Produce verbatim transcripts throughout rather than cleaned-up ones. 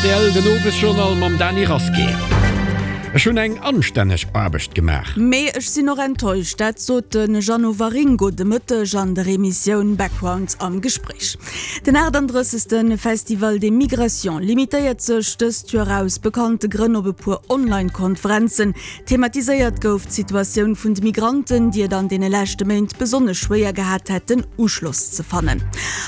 R T L, den Owesjournal mam Dany Rasqué. Ech hunn eng anstänneg Aarbecht gemaach. Mee ech sinn och enttäuscht. Dat sot de Jeannot Waringo de Mëtteg an der Emissioun Background am Gespréich. Den achtandrëssegste Festival des Migrations limitéiert sech dëst Joer aus bekannte Grënn op e puer Online-Konferenzen. Thematiséiert gouf d'Situatioun vun de Migranten, déi et an deene leschte Méint besonnesch schwéier gehat hätten, Uschloss ze fannen.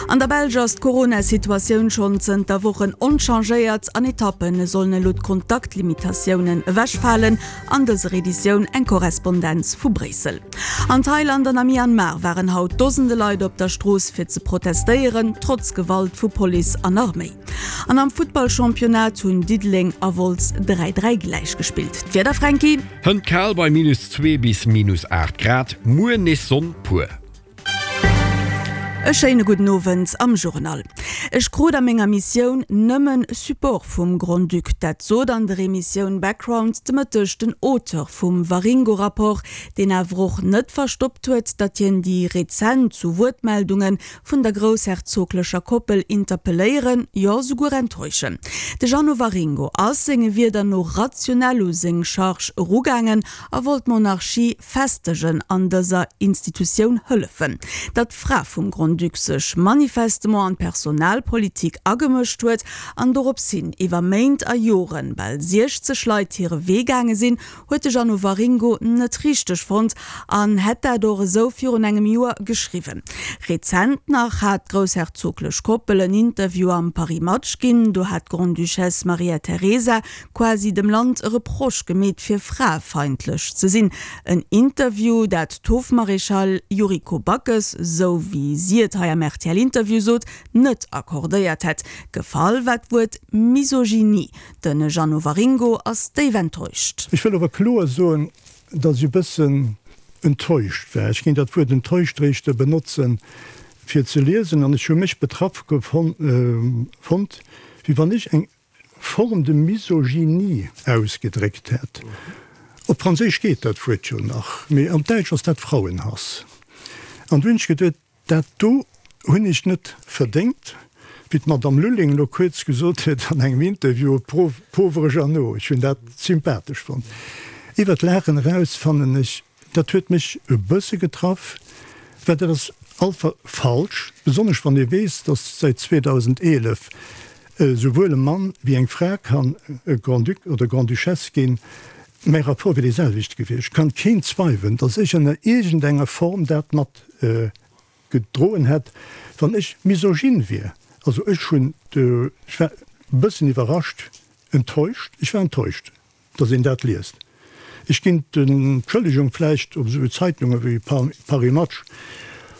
An der Belsch ass d'Corona-Situatioun schonn zënter Wochen onchangéiert. An Etappe sollen elo d'Kontaktlimitatiounen ewechfalen. An dëser Editioun eng Korrespondenz vu Bréissel. An Thailand an a Myanmar waren haut Dosende Leit op der Strooss fir ze protestéieren, trotz Gewalt vu Police an Arméi. An am Futtballchampionnat hunn Diddeleng a Wolz dräi dräi gläich gespillt. D'Wieder, Fränki? Hënt kal bei minus zwee bis minus aacht Grad, muer nees Sonn pur. E schéine gudden Owend am Journal. Ech krut a menger Missioun nëmmen Support vum Grand-Duc. Dat sot an der Emissioun Background de Mëtteg den Auteur vum Waringo-Rapport, deen awer och net verstoppt huet, datt hien déi rezent Zu-Wuert-Meldunge vun der groussherzoglecher Koppel interpelléieren, jo souguer enttäuschen. De Jeannot Waringo ass senge Wierder no rationell u seng Charge erugaangen a wollt d'Monarchie festegen an dëser Institutioun hëllefen. Datt d'Fra vum Grand-Duc sech manifestement an d'Personalpolitik agemëscht huet an dorops hin iwwer Méint a Joren bal siechzeg Leit hire Wee gaange sinn, huet de Jeannot Waringo net richteg fonnt an hätt dat och esou virun engem Joer geschriwwen. Rezent nach hat d'groussherzoglech Koppel en Interview am Paris Match ginn. Do hat d'Grande-Duchesse Maria Teresa quasi dem Land e Reproche gemeet fir fraefeindlech ze sinn. En Interview, dat d'Hofmaréchale Yuriko Backes, sou wéi si et hei am R T L-Interview sot, net accordéiert hätt. Gefall war d'Wuert Misogynie. De Jeannot Waringo ass déif enttäuscht. Ech wëll awer kloer soen, datt ech e bëssen enttäuscht war. Ech géing dat Wuert enttäuscht réischt benotzen, fir ze liesen, an ech hu mech betraff fonnt, wéi wann ech eng Forme de misogynie ausgedréckt hätt. Op Franséisch geet dat Wuert jo nach, mee am Däitsch ass dat Frauenhass. An du hunn ech geduet, dat do hunn ech net verdéngt, wéi d'Madame Lulling elo kuerz gesot huet an engem Interview, pauvre Jeannot. Ech hunn dat sympathesch fonnt. Iwwer d'Laachen eraus fannen ech, dat huet mech e bësse getraff, well dat ass einfach falsch, besonnesch wann ee weess, datt säit zweedausendeelef esouwuel e Mann wéi eng Fra kann Grand-Duc oder Grande-Duchesse ginn. Mäi Rapport wier dee selwechte gewiescht. Kann keen zweiwelen, datt ech ënner iergendenger Form dat mat gedroen hätt, wann ech misogyn wier. Also ech hunn, ech war e bëssen iwwerrascht, enttäuscht, ech war enttäuscht, datt een dat liest. Ech ginn d'Entschëllegung vläicht op esou Zeitunge wéi Paris Match,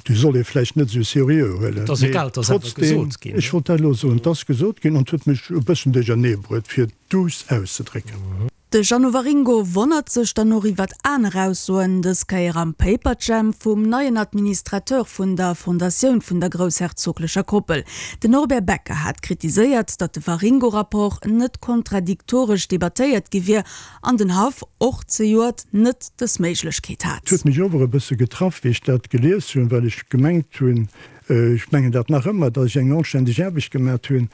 déi soll ee vläicht net esou seriö huelen, Et ass mee egal, et ass awer trotzdem, gesot ginn. Ech wollt dat elo soen, et ass gesot ginn an et huet mech e bëssen duerchernee bruet, fir et duuss auszedrécken. De Jeannot Waringo wonnert sech dann och iwwert aner Aussoen, dës Kéier am Paperjam vum neien Administrateur vun der Fondatioun vun der groussherzoglecher Koppel. Den Norbert Becker hat kritiséiert, datt de Waringo-Rapport net kontradiktoresch debattéiert gi wier an den Haff och zejoert net dës Méiglechkeet Et hat. huet mech ower e bësse getraff, wéi ech dat gelies hunn, well ech gemengt hunn, ech mengen dat nach ëmmer, datt ech eng anständeg Aarbecht gemat hunn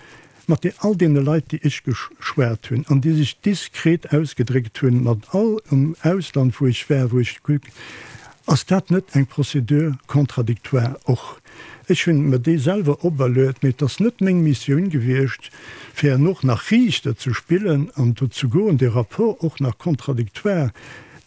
mat de all deene Leit, déi ech geschwat hunn an déi sech diskret ausgedréckt hunn, mat all am Ausland, wou ech war, wou ech Ass dat net eng Procédure contradictoire och? Ech hunn mer déi selwer operluet, mee et ass net meng Missioun gewiescht, fir herno och nach Riichter ze spillen an do ze goen, dee Rapport och nach contradictoire,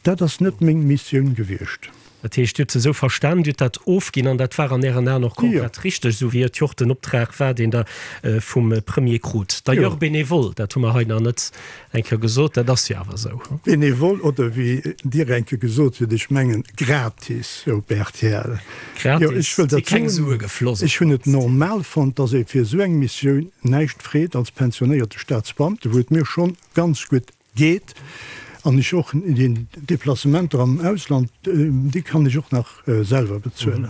dat ass net meng Missioun gewiescht. Dat heescht, Dir hutt se esou verstan, Dir hutt dat ofginn an dat war an Ären Aen och Jo. komplett richteg, esou wéi et jo och den Optrag war, deen Der vum Premier krut. D'ailleurs Jo. bénévole, dat hu mer hei nach net eng Kéier gesot, dat ass jo awer esou. Bénévole oder wéi Dir eng Kéier gesot hutt, ech mengen gratis op R T L. Jo, Gratis, ech wëll si dat keng soen, Sue gefloss op ech hunn et d'mannst. normal fonnt, dass ee fir esou eng Missioun näischt freet als pensionéierte Staatsbeamte, wou et mir schonn ganz gutt geet an ech och déi Deplacementer am Ausland, déi kann ech och nach selwer bezuelen.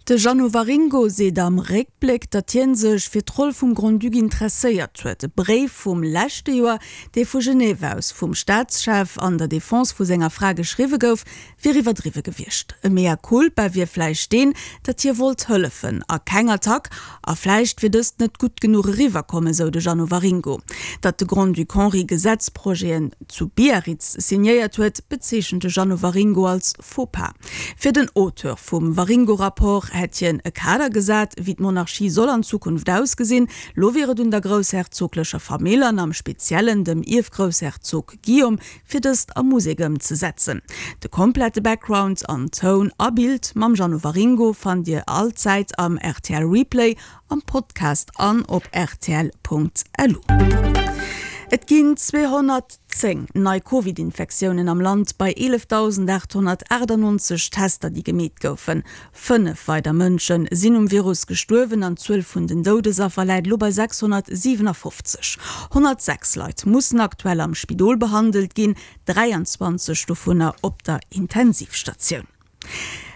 De Jeannot Waringo seet am Réckbléck, datt hie sech fir d'Roll vum Grand-Duc interesséiert huet. E Bréif vum leschte Joer, dee vu Genève aus vum Staatschef an der Defense vu senger Fra geschriwwe gouf, wier iwwerdriwwe gewiescht. E Mea culpa wier vläicht deen, datt hie wollt hëllefen a keng Attack, a vläicht wier dëst net gutt genuch eriwwerkomm, esou de Jeannot Waringo. Datt de Grand-Duc Henri Gesetzprojeten zu Biarritz signéiert huet, bezeechent de Jeannot Waringo als Faux-pas. Fir den Auteur vum Waringo-Rapport hätt hien e Kader gesat, wéi d'Monarchie soll an Zukunft ausgesinn. Lo wier et un der groussherzoglecher Famill an am Speziellen dem Ierfgroussherzog Guillaume, fir dëst a Musek ëmzesetzen. De komplette Background an Toun a Bild mam Jeannot Waringo fannt Dir allzäit am rtl Replay, am Podcast an op rtl.lu. Et ginn zweehonnertzéng nei Covid-Infektiounen am Land bei eelefdausendachthonnertaachtanonzeg Tester, déi gemeet goufen. Fënnef weider Mënsche sinn um Virus gestuerwen an d'Zuel vun den Doudesaffer läit elo bei sechshonnertsiwenafoffzeg. Honnertsechs Leit mussen aktuell am Spidol behandelt ginn, dräianzwanzeg dovunner op der Intensivstatioun.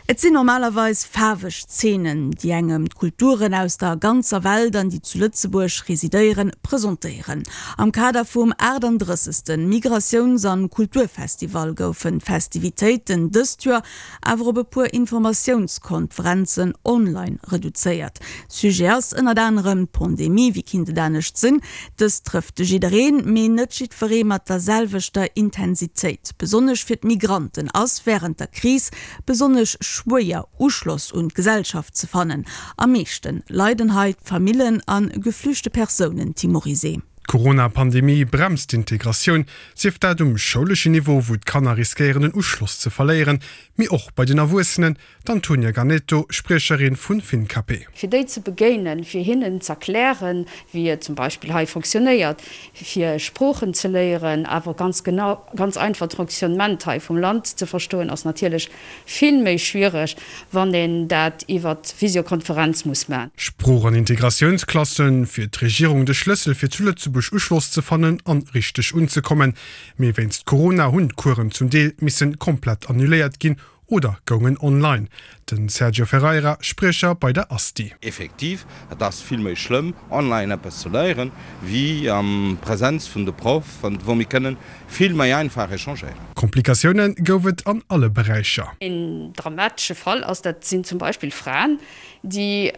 Et sinn normalerweis faarweg Zeenen, déi engem d'Kulturen aus der ganzer Welt an déi zu Lëtzebuerg residéieren, presentéieren. Am Kader vum achtandrëssegste Migratiouns an Kulturfestival goufen d'Festivitéiten dëst Joer awer op e puer Informatiounskonferenzen online reduzéiert. Sujet ass ënnert anerem d'Pandemie, wéi kinnt et anescht sinn. Dëst trëfft jiddereen, mee net jiddweree mat der selwechter Intensitéit. Besonnesch fir d'Migranten ass wärend der Kris besonnesch schwéier Uschloss un d'Gesellschaft ze fannen. Am meeschten leiden hei d'Famillen an geflüchte Persounen, Tim Morizet. D'Corona-Pandemie bremst d'Integratioun, sief dat um schouleschen Niveau, wou d'Kanner riskéieren den Uschloss ze verléieren, mee och bei den Erwuessenen, d'Antonia Ganetto, Spriecherin vun Fincapé. Fir déi ze begéinen, fir hinnen z'erklären, wéi et zum Beispill hei fonctionnéiert, fir Sproochen ze léieren, awer ganz genau, ganz einfach d'Fonctionnement hei vum Land ze verstoen, ass natierlech vill méi schwiereg, wann een dat iwwer Visiokonferenz muss man. Sprooch an Integratiounsklassen, fir d'Regierung de Schlëssel fir zu Lëtzebuerg Uschloss ze fannen an richteg unzekommen. Mee wéinst Corona hunn d'Coursen zum Deel missen komplett annuléiert ginn oder goungen online. Den Sergio Ferreira, Spriecher bei der Asti. Effektiv, et ass vill méi schlëmm, online eppes ze léieren, wéi am Präsenz vun de Proff, wou mir kënnen vill méi einfach échangéieren. Komplikatioune gouf et an alle Beräicher. Een dramatesche Fall ass, dat sinn zum Beispill Fraen, déi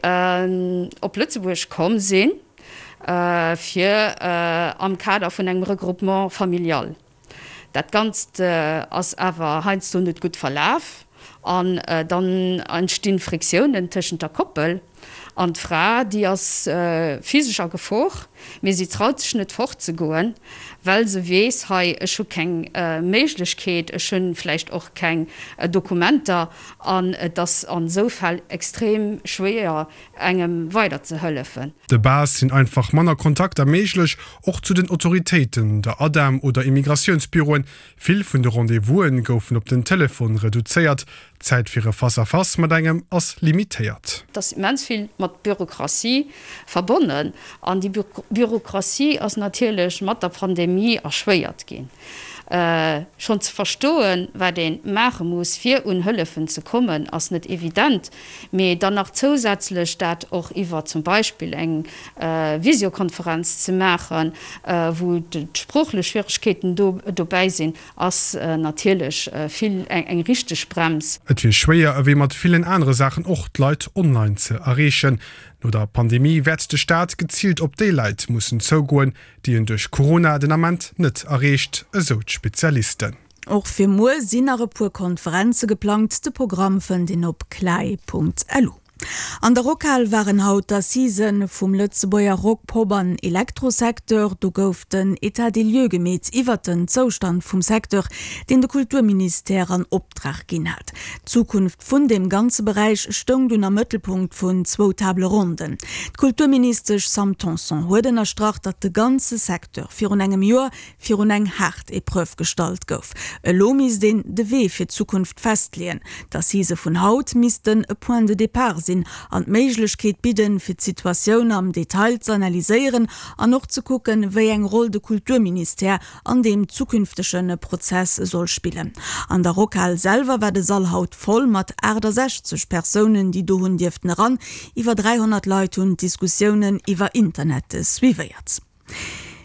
op Lëtzebuerg komm sinn, fir am Kader vun engem Regroupement familial. Dat Ganzt ass awer heiansdo net gutt verlaf an dann entstinn Friktiounen tëschent der Koppel an d'Fra, déi ass physesch a Gefor, mee si traut sech net fortzegoen, well se weess, hei ech hu keng Méiglechkeet, ech hunn vläicht och keng Dokumenter an et ass an esou Fäll extrem schwéier engem weiderzehëllefen. De base sinn einfach manner Kontakter méiglech, och zu den Autoritéiten, der ADEM oder Immigratiounsbüroen. Vill vun de Rendez-vous'en goufen op den Telefon reduzéiert, d'Zäit fir e Face-à-face mat engem ass limitéiert. Et ass immens vill mat Bürokratie verbonnen an déi Bürokratie ass natierlech mat der Pandemie erschwéiert ginn. Schonn ze verstoen, wat ee maache muss, fir un Hëllefen ze kommen, ass net evident. Mee dann nach zousätzlech dat och iwwer zum Beispill eng Visiokonferenz ze maachen, wou d'sproochlech Schwieregkeeten dobäi sinn, ass natierlech vill eng richteg Brems. Et wier schwéier, ewéi mat villen anere Saachen och, d'Leit online ze erreechen. No der Pandemie wäert de Staat geziilt op déi Leit mussen zougoen, déi en duerch Corona den Ament net erreecht, esou d'Spezialisten. Och fir muer sinn nach e puer Konferenze geplangt, de Programm fënnt een op clae.lu. An der Rockhal waren haut d'Assisen vum Lëtzebuerger Rock-, Pop an Elektrosecteur. Do gouf den État des lieux gemeet iwwert den Zoustand vum Secteur, deen de Kulturministère an Optrag ginn hat. D'Zukunft vun deem ganze Beräich stoung dunn am Mëttelpunkt vun zwou Table ronden. D'Kulturministesch Sam Tanson huet ënnerstrach, datt de ganze Secteur virun engem Joer virun eng haart Epreuve gestallt gouf. Elo misst een de Wee fir d'Zukunft festleeën. D'Assisë vun haut missten e Point de départ sinn an d'Méiglechkeet bidden, fir d'Situatioun am Detail ze analyséieren an och ze kucken, wéi eng Roll de Kulturministère an deem zukünftege Prozess soll spillen. An der Rockhal selwer war de Sall haut voll mat achtesechzeg Persounen, déi do hunn dierften eran. Iwwer dräihonnert Leit hunn d'Diskussiounen iwwer Internet suivéiert.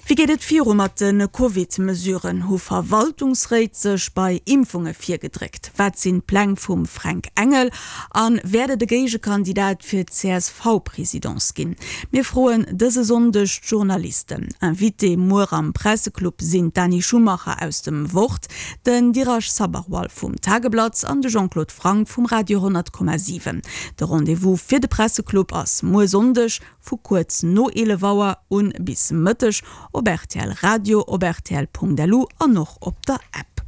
Wéi geet et viru mat de Covid-Mesuren? Hu Verwaltungsréit sech bei Impfunge virgedréckt? Wat sinn d'Pläng vum Fränk Engel? A wäert et e Géigekandidat fir d'CSV-Presidence ginn? Mir froen dëse Sonndeg d'Journalisten. Invité muer am Presseclub sinn d'Dani Schumacher aus dem Wort, den Dheeraj Sabharwal vum Tageblatt an de Jean-Claude Franck vum Radio honnert Komma siwen. De Rendez-vous fir de Presseclub ass muer Sonndeg vu kuerz no eelef Auer un bis Mëtteg op rtl Radio, op rtl.lu an och op der App.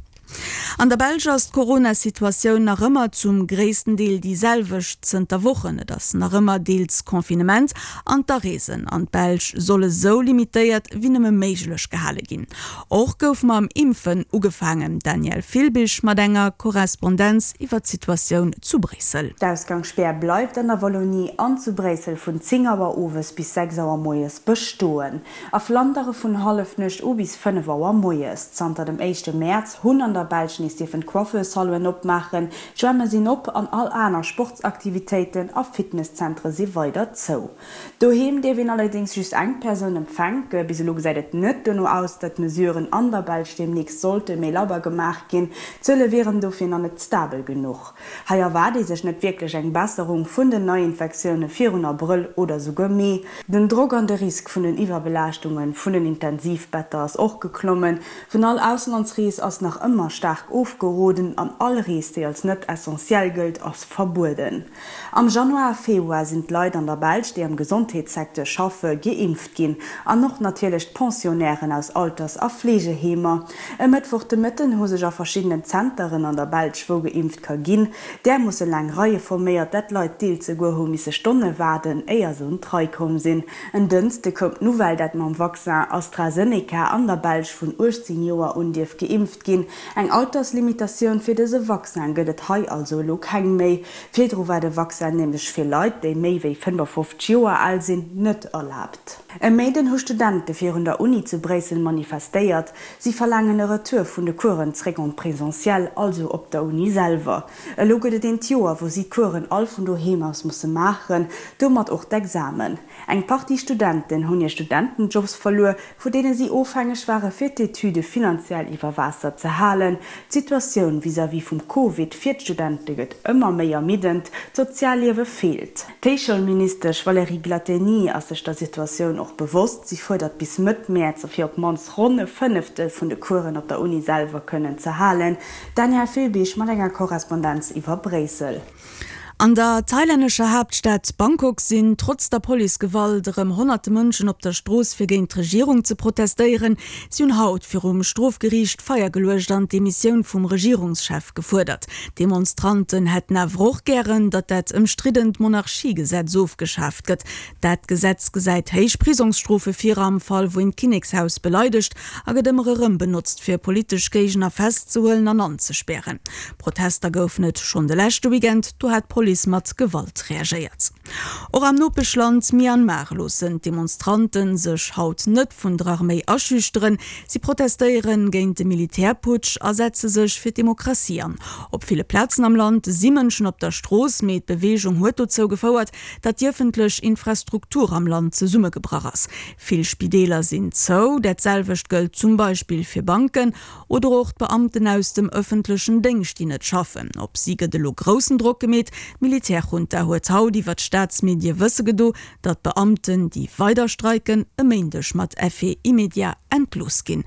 An der Belsch ass d'Corona-Situatioun nach ëmmer zum gréissten Deel déi selwecht zënter Wochen. Et ass nach ëmmer deels Confinement an d'Areesen an d'Belsch solle sou limitéiert wéi nëmme méiglech gehale ginn. Och gouf mam Impfen ugefaangen. D'Danièle Filbig mat enger Korrespondenz iwwer d'Situatioun zu Bréissel. D'Ausgangsspär bleift an der Wallonie an zu Bréissel vun zéng Auer owes bis sechs Auer moies bestoen. A Flandere vun Hallefnuecht u bis fënnef Auer moies. Zanter dem éischte Mäerz hunn an der Belsch nees dierfen d'Coiffeurssalonen opmaachen, d'Schwämme sinn op an all aner Sportsaktivitéiten a Fitnesszentere si weider zou. Doheem dierf een allerdéngs just eng Persoun empfänken. Bis elo gesäit et net dono aus, datt d'Mesuren an der Belsch deemnächst sollte méi labber gemaach ginn. D'Zuele wieren dofir nach net stabel genuch. Hei erwaart ee sech net wierklech eng Besserung vun den Neiinfektioune virun Abrëll oder souguer Mee. Den Drock an de Risk vun den Iwwerbelaaschtunge vun den Intensivbetter ass och geklommen. Vun all Auslandsrees ass nach ëmmer staark ofgeroden an all Rees, déi als net essentiell gëllt, ass verbueden. Am Januar a Februar sinn d'Leit an der Belsch, déi am Gesondheetssecteur schaffe, geimpft ginn an och natierlech d'Pensionnairen aus Alters a Fleegeheemer. E Mëttwoch de Mëtten hu sech a verschiddenen Zenteren an der Belsch, wou geimpft ka ginn, därmoosse laang Reie forméiert, dat Leit deels souguer hu misse Stonne waarden, éier se un d'Rei komm sinn. En Dënschde koum d'Nouvelle, dat mam Vaccin AstraZeneca an der Belsch vun uechtzéng Joer un dierf geimpft ginn. Eng Alterslimitatioun fir dëse Vaccin gëtt et hei also elo keng méi. Virdru war de Vaccin nämlech fir Leit, déi méi wéi fënnefofzeg Joer al sinn, net erlaabt. E Méinden hu Studente virun der Uni zu Bréissel manifestéiert. Si verlaangen e Retour vun de Coursen zréck en présentiel, also op der Uni selwer. Elo gëtt et eent Joer, wou si d'Coursen all vun doheem aus musse maachen, domat och d'Examen. Eng Partie Studenten hunn hir Studentenjobs verluer, vu deene si ofhängeg ware fir d'Etüde finanziell iwwer Waasser ze halen. D'Situatioun vis-à-vis vum Covid fir d'Studente gëtt ëmmer méi ermiddend, d'Sozialliewe feelt. D'Héichschoulministesch Valérie Glatteny ass sech der Situatioun och bewosst. Si fuerdert bis Mëtt Mäerz fir op d'mannst ronn e Fënneftel vun de Coursen op der Uni selwer kënnen ze halen. D'Danièle Filbig mat enger Korrespondenz iwwer Bréissel. An der thailännescher Haaptstad Bangkok sinn trotz der Policegewalt erëm honnerte Mënschen op der Strooss fir géint d'Regierung ze protestéieren. Si hunn haut virum Strofgeriicht Feier geluecht an d'Demissioun vum Regierungschef gefuerdert. D'Demonstranten hätten awer och gären, datt dat ëmstriddent Monarchiegesetz ofgeschaaft gëtt. Dat Gesetz gesäit héich Prisongsstrofe vir am Fall wou een d'Kinnekshaus beleidegt a gëtt ëmmer erëm benotzt fir politesch Géigner festzehuelen an anzespären. Protester goufen et schonn de leschte Weekend, do hat d'Police mat Gewalt reagéiert. Och am Nopeschland Myanmar loossen d'Demonstrante sech haut net vun der Arméi aschüchteren. Si protestéiere géint de Militärputsch a setze sech fir d'Demokratie an. Op ville Plazen am Land si Mënschen op der Strooss, mee d'Beweegung huet dozou gefouert, datt déi ëffentlech Infrastruktur am Land zesummegebrach ass. Vill Spideeler sinn zou, dat selwecht gëllt zum Beispill fir Banken oder och d'Beamten aus dem ëffentlechen Déngscht, déi net schaffen. Op si gëtt elo groussen Drock gemeet. D'Militärjunta huet haut iwwer d'Staatsmedie wësse gedo, datt d'Beamten, déi weider streiken, e Méindeg mat Effet immédiat entlooss ginn.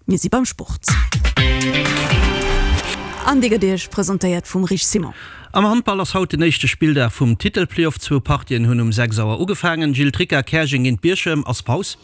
Mir si beim Sport. An dee gëtt Iech presentéiert vum Rich Simon. Am Handball ass haut den éischte Spilldag vum Titelplayoff. Zwou Partien hunn um sechs Auer ugefaangen. Gilles Tricca, Käerjeng géint Bierchem, ass Paus.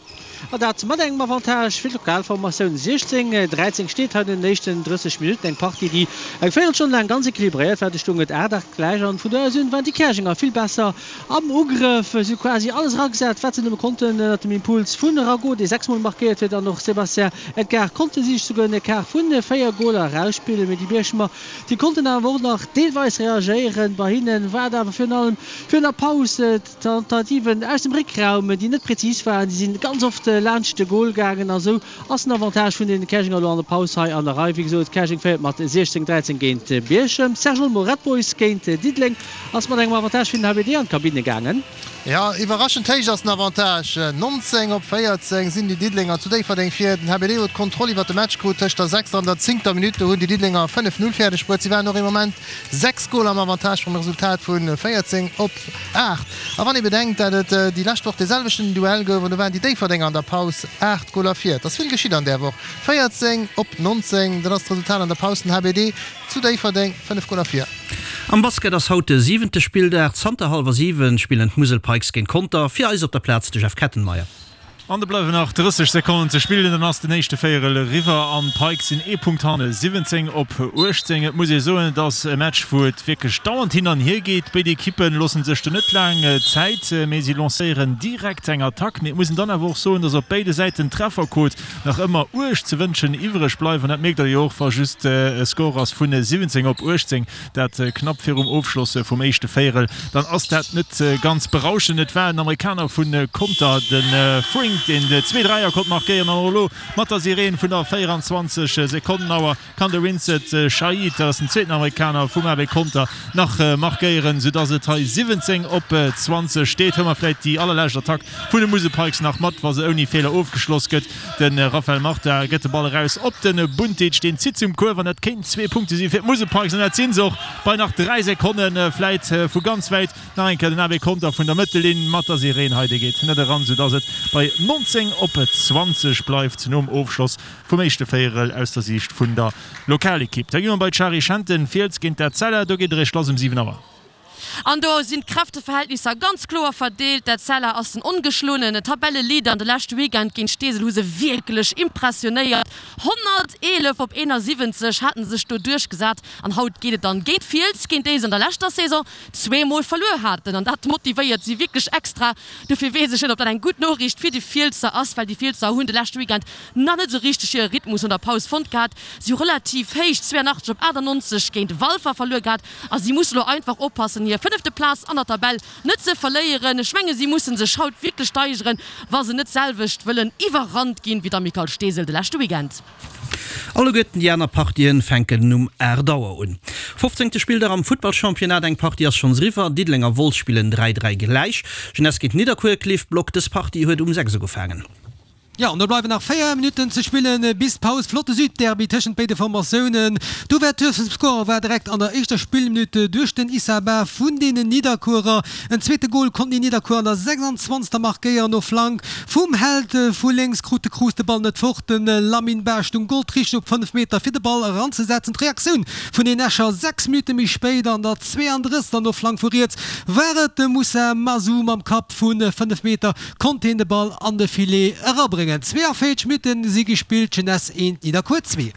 An dat mat engem Avantage fir d'Lokalformatioun. siechzéng, dräizéng steet hei no den éischten drësseg Minutten. Eng Partie, déi eng Véierelstonn laang ganz equilibréiert war. Du stoung et aacht, aacht gläich an vun do aus un waren déi Käerjenger vill besser am Ugrëff. Si hu quasi alles eragesat, wat se nëmme konnten ënnert dem Impuls vun Ragot, dee sechs Mol markéiert huet, an och Sébastien Edgar konnte si sech souguer en Ecart vun véier Goler erausspillen. Mee déi Bierchemer, déi konnten awer och nach deelweis reagéieren. reagéieren. Bei hinne war et awer virun allem virun der Paus d'Tentativen aus dem Réckraum, déi net präzis waren. Déi sinn ganz oft laanscht de Gol gaangen a sou ass den Avantage vun den Käerjenger elo an der Paus hei an der Rei. Wéi gesot, Käerjeng féiert mat siechzéng, dräizéng géint Bierchem. Serge Olmo, Red Boys géint Diddeleng ass mat engem Avantage fir den H B D an d'Kabinne gaangen. Jo, iwwerraschend héich ass den Avantage. nonzéng op véierzéng sinn déi Diddelenger zu Déifferdeng vir. Den H B D huet d'Kontroll iwwer de Match krut. Tëscht der sechster an der zéngter Minutt, do hunn déi Diddelenger fënnef Null fäerdeg bruet. Si waren och ee Moment sechs Goler am Avantage beim Resultat vu véierzéng op aacht. A wann ee bedenkt, dat et déi lescht Woch dee selwechten Duell gouf an do waren déi Déifferdenger an der Paus aacht Goler vir. Et ass vill geschitt an där Woch. véierzéng op nonzéng, dat ass d'Resultat an der Paus. Den H B D zu Déifferdeng fënnef Goler vir. Am Basket ass haut de siwente Spilldag. Zanter hallwer siwen spillen d'Musel Pikes géint Conter. Fir eis op der Plaz de Jeff Kettenmeyer. An et bleiwen nach drësseg Sekonnen ze spillen, dann ass den éischte Véierel eriwwer an d'Pikes sinn ee Punkt hanne, siwwenzéng op uechtzéng. Et muss ee soen, et ass e Match, wou et wierklech dauernd hin an hier geet. Béid Ekippe loosse sech do net laang Zäit, mee si lancéieren direkt eng Attack. Mee et muss een dann awer och soen, dass op béide Säiten d'Trefferquot nach ëmmer uerg ze wënschen iwwreg bleift. An dat mierkt der jo och, wa just e Score ass vun siwwenzéng op uechtzéng, dat knapp virum Ofschloss vum éischte Véierel, dann ass dat net ganz berauschend. Et war en Amerikaner vu Conter, de Frink, deen zwee Dräier konnt markéieren. An och elo mat der Sireen vun der véieranzwanzeg Sekonnen Auer kann de Vincent Shaid, dat ass den zweeten Amerikaner vum A B Conter, nach markéieren, soudass et hei siwwenzéng op zwanzeg steet. Hu mer vläit déi allerlescht Attack vun de Musel Pikes nach mat, wa se ouni Feeler ofgeschloss gëtt. De Raphael Marta gëtt de Ball eraus op de Buntic, deen zitt zum Kuerf an dat kéinten zwee Punkte si fir d'Musel Pikes an dat si se och bei nach dräi Sekonnen. Vläit vu ganz wäit nach eng Kéier den A B Conter vun der Mëttellinn mat der Sireen hei, dee geet net eran, soudass et bei nonzéng op zwanzeg bleift nom Ofschloss vum éischte Véierel aus der Siicht vun der Lokalekipp. Da gi mer bei d'Shari Schenten, Fiels géint Etzella, do geet eréischt lass um siwen Auer. An do sinn d'Kräfteverhältnisser ganz kloer verdeelt. D'Etzella ass den ongeschloenen Tabelleleader. An de leschte Weekend géint Steesel hu se wierklech impressionéiert. honnerteelef op eenasiwwenzeg hate se sech do duerchgesat. An haut geet et dann géint Fiels, géint déi se an der leschter Saison zwee Mol verluer haten. An dat motivéiert si wierklech extra. Dofir weess ech net, ob dat eng gutt Noriicht fir déi Fielser ass, well déi Fielser hunn de leschte Weekend nach net esou richteg hire Rhythmus no der Paus fonnt gehat. Si hu relativ héich zweeanachtzeg op achtannonzeg géint Walfer verluer gehat a si musse lo einfach oppassen, hir fënnefte Plaz an der Tabell net ze verléieren. Ech menge si musse sech haut wierklech steigeren, wa se net d'selwecht wëllen iwwerrannt ginn wéi d'Amicale Steesel de leschte Weekend. Alleguerten déi aner Partien fänken um aacht Auer un. Fofzéngte Spilldag am Futtballchampionnat, Eng Partie ass schonns eriwwer, Diddeleng a Wolz spillen dräi dräi gläich. Jeunesse géint Nidderkuer, Cliff Block, Dës Partie huet um sechs ugefaangen. Jo, an do bleiwen nach véier Minutten ze spillen bis d'Paus. Flotte Südderby tëschent béide Formatiounen. D'Ouverture vum Score war direkt an der éischter Spillminutt duerch den Issa Ba vun deenen Nidderkuerer. En zweete Gol konnten déi Nidderkuer an der sechsandzwanzegster markéieren. No Flank vum Held vu lénks krut de Cruz de Ball net fort. De Lamine Ba stung goldrichteg op fënnef Meter fir de Ball eranzesetzen. D'Reaktioun vun den Escher sechs Minutte méi spéit an der zweeandrëssegster no Flank vu riets war et de Moussa Mazou mam Kapp vu fënnef Meter konnt hien de Ball an de Filet erabréngen. zweeënvéierzeg Minutten si gespillt, Jeunesse eent, Nidderkuer zwee.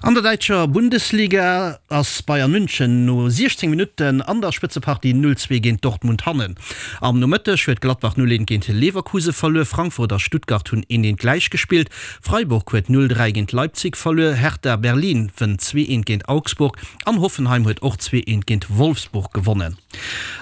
An der däitscher Bundesliga ass Bayern München no siechzéng Minutten an der Spëtzepartie null zwee géint Dortmund hannen. Am Nomëtteg huet Gladbach null eent géint Leverkuse verluer, Frankfurt a Stuttgart hunn eent eent gläich gespillt, Freiburg huet null dräi géint Leipzig verluer, Hertha Berlin wënnt zwee eent géint Augsburg an Hoffenheim huet och zwee eent géint Wolfsburg gewonnen.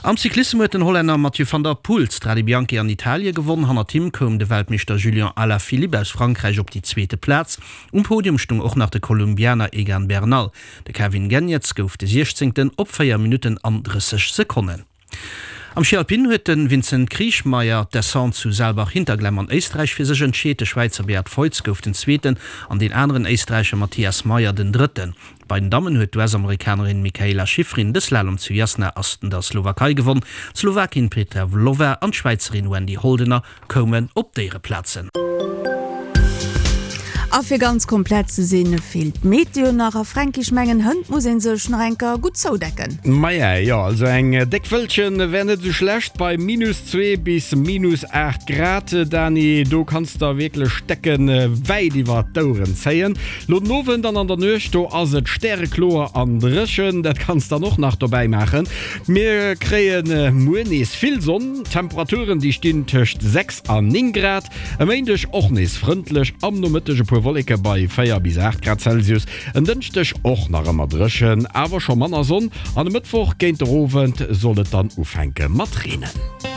Am Cyclissem huet den Hollänner Mathieu van der Poel d'Strade Bianche an Italie gewonn. Hannert him koum de Weltmeeschter Julian Alaphilippe aus Frankräich op déi zweete Plaz. Um Podium stung och nach de Kolumbianer Egan Bernal. De Kevin Geniets gouf de Siechzéngten op véier Minutten an drësseg Sekonnen. Am Schi Alpin huet de Vincent Kriechmayr d'Descente zu Saalbach-Hinterglemm an Éisträich fir sech entscheet. De Schwäizer Beat Feuz gouf den Zweeten an deen aneren Éisträicher Matthias Mayer den Drëtten. Bei den Dammen huet d'U S-Amerikanerin Mikaela Shiffrin de Slalom zu Jasna an der Slowakei gewonn. D'Slowakin Petra Vlhova an d'Schwäizerin Wendy Holdener koumen op d'Éiereplazen. A fir ganz komplett ze sinn, feelt d'Meteo nach. A Fränki, ech mengen, hënt muss ee sech nach eng Kéier gutt zoudecken. Maja, jo, also eng déck Wëllchen wär net esou schlecht bei minus zwee bis minus aacht Grad, Dani. Do kanns der wierklech d'Decken wäit iwwer d'Oueren zéien. Lo den Owend an an der Nuecht, do ass et stärekloer an dréchen, dat kanns dann och nach dobäi maachen. Mir kréie muer nees vill Sonn, Temperaturen déi stinn tëscht sechs an néng Grad. E Méindeg och nees frëndlech, am Nomëtteg e puer puer Wolleke bei véier bis aacht Grad Celsius. En Dënschdeg och nach ëmmer dréchen, awer scho manner Sonn an e Mëttwoch géint der Owend soll et dann ufänke mat reenen.